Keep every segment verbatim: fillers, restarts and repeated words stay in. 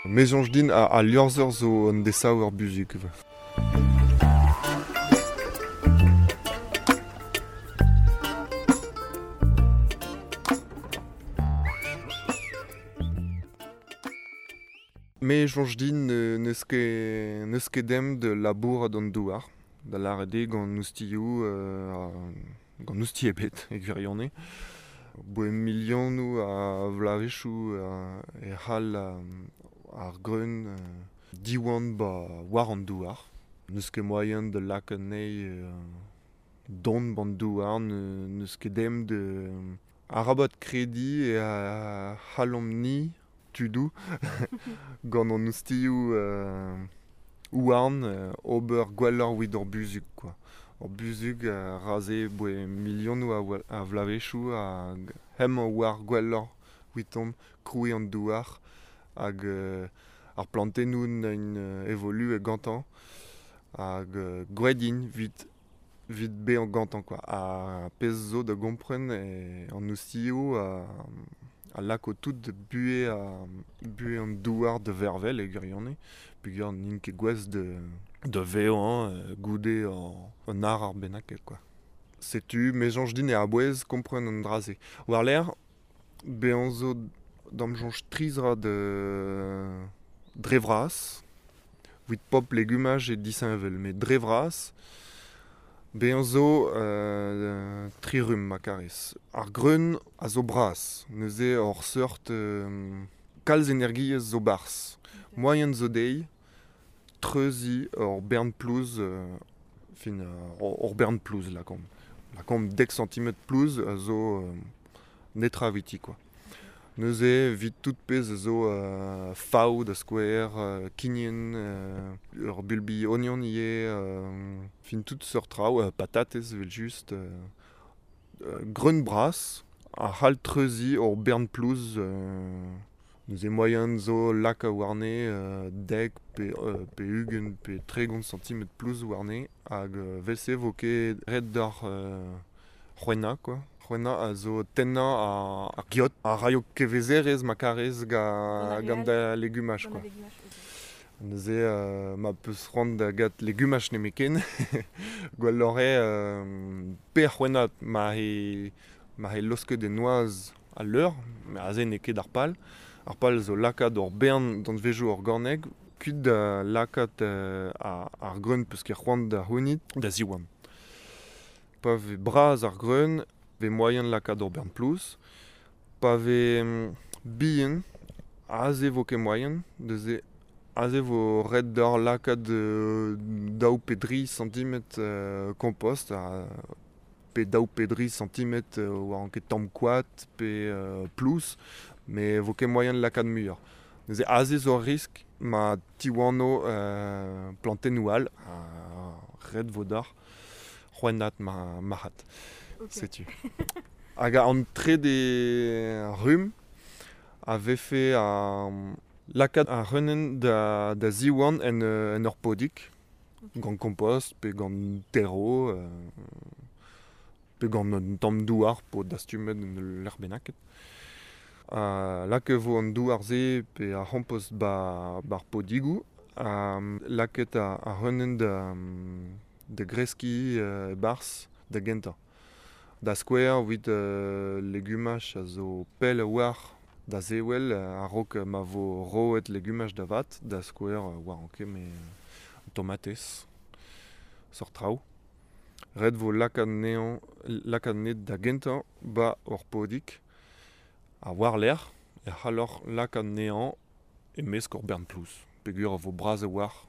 Me soñj din a, a liorzher zo an desav ur buzhug. Me soñj din n'eus ket n'eus ket dem de labourat an douar, da lâret eo gant oustilhoù euh, gant oustilh ebet e gwirionez. Boe milionoù a vloavezhioù e c'hall ar greun diwan ba war an douar. N'eus ket moaien da lakaat anezhi don ban douar, n'eus ket dem de arabat krediñ e c'hallomp-ni tudoù gant an oustilhoù euh, houarn euh, ober gwelloc'h evit hor buzhug quoi. Hor buzhug euh, raze boe milionoù a, a vloavezhioù hag hemañ war gwelloc'h evitomp krouiñ an douar hag euh, ar plantennoù n'int euh, evoluet gantañ hag euh, gwraet int evit evit bezañ gantañ quoi. Ha pezh zo da gompren e an oustilhoù a, a lako tout de buhe a buhe an douar de vervel e gwirionez peogwir n'int ket gouest de de vevañ euh, goude an ar ar bennaket quoi. Setu me soñj din e a-bouez kompren an dra-se. War-lerc'h bezañ zo da'm soñj tri zra de dre vras evit pop legumaj e disheñvel met dre vras bezañ zo euh, tri rumm ma karez. Ar greun a zo bras, neuze hor seurt euh, kalz energiezh zo barzh. Moaien zo dezhi treuziñ ur bern plouz, euh, fin ur bern plouz lakaomp. Lakaomp dek santimetr plouz a zo euh, netra eviti quoi. Neuze evit tout pezh a zo euh, fav da skouer, euh, kignen, euh, ur bulbi ognon ivez, euh, fin tout seurt traoù, euh, patatez evel-just, euh, euh, greun bras a c'hall treuziñ ur bern plouz, euh, neuze moaien zo lakaat warne euh, dek pe, euh, pe ugent pe tregont santimetr plouz warne hag euh, vel-se vo ket ret deoc'h euh, c'hwennañ quoi. C'hwennañ a zo tennañ ar, ar geot, a raio kevezerezh ma karez ga, gant da legumaj quoi. Neuze euh, ma peus c'hoant da gat legumaj nemetken, gwelloc'h eo euh, pe c'hwennat ma he ma he laosket e noazh al leur, met aze n'eo ket ar pal. Ar pal zo lakaat ur bern danvezioù organek, kuit da lakaat euh, ar, ar greun peus ket c'hoant da c'hounit da ziwan. Pa vez bras ar greun, vez moaien lakaat ur bern plouz. Pa vez bihan, aze vo ket moaien, neuze aze vo ret deoc'h lakaat euh, daou pe dri santimetr euh, kompost, ha pe daou pe dri santimetr euh, war an ket tamm koad pe euh, plouz, met vo ket moaien lakaat muioc'h. Neuze aze zo ur risk ma tiwano euh, plantennoù all, ha ret vo deoc'h c'hwennat ma marc'had. Okay. Setu. Hag an trede rumm a vefe a lakaat ar c'hreunenn da, da ziwan en, en ur podig, Okay. gant kompost pe gant terro, euh, pe gant un tamm douar po dastumet en ul lec'h bennaket. Uh, lakaet vo an douar-se pe ar c'hompost ba, ba'r podigoù, ha lakaet ar, ar c'hreunenn da, da greskiñ euh, e-barzh da gentañ. Da skouer evit euh, legumaj a zo pell a-walc'h da sevel a-raok ma vo roet legumaj da vat, da skouer war an ket me tomatez, seurt traoù. Ret vo lakaat anezhañ lakaat anezhe da gentañ ba ur podig, ha war-lerc'h e c'halloc'h lakaat anezhañ e-mesk ur bern plouz. Peogwir a vo bras a-walc'h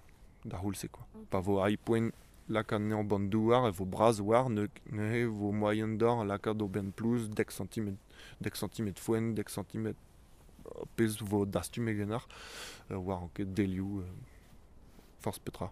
da c'houlz-se quoi. Pa vo arri poent lakaat anezhañ ban douar e vo bras a-walc'h, neuze vo moaien deoc'h lakaat ur bern plouz dek santimetr, dek santimetr foenn, dek santimetr pezh vo dastumet ganeoc'h, war an ket delioù, euh, forzh petra.